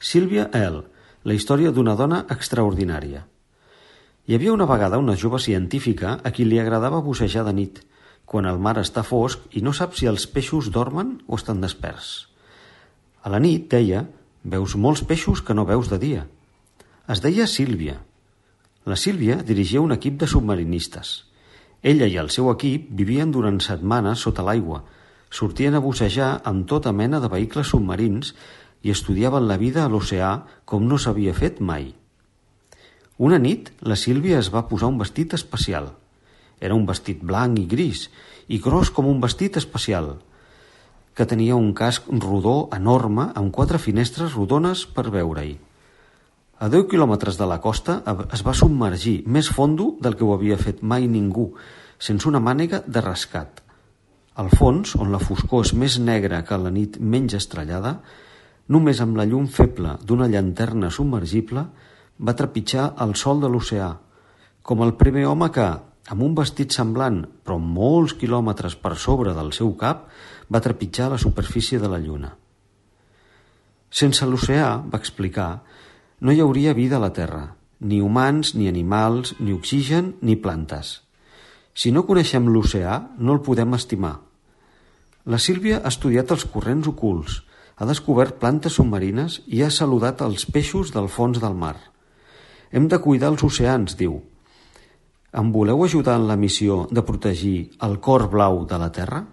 Sylvia L., la història d'una dona extraordinària. Hi havia una vegada una jove científica a qui li agradava bussejar de nit, quan el mar està fosc i no sap si els peixos dormen o estan desperts. A la nit, deia, veus molts peixos que no veus de dia. Es deia Sílvia. La Sílvia dirigia un equip de submarinistes. Ella i el seu equip vivien durant setmanes sota l'aigua, sortien a bussejar amb tota mena de vehicles submarins i estudiaven la vida a l'oceà com no s'havia fet mai. Una nit, la Sílvia es va posar un vestit especial. Era un vestit blanc i gris, i gros com un vestit especial, que tenia un casc rodó enorme amb 4 finestres rodones per veure-hi. A 10 quilòmetres de la costa es va submergir més fondo del que ho havia fet mai ningú, sense una mànega de rescat. Al fons, on la foscor és més negra que la nit menys estrellada, només amb la llum feble d'una llanterna submergible va trepitjar el sòl de l'oceà, com el primer home que, amb un vestit semblant però molts quilòmetres per sobre del seu cap, va trepitjar la superfície de la lluna. Sense l'oceà, va explicar, no hi hauria vida a la Terra, ni humans, ni animals, ni oxigen, ni plantes. Si no coneixem l'oceà, no el podem estimar. La Sílvia ha estudiat els corrents ocults, ha descobert plantes submarines i ha saludat els peixos del fons del mar. Hem de cuidar els oceans, diu. Em voleu ajudar en la missió de protegir el cor blau de la Terra?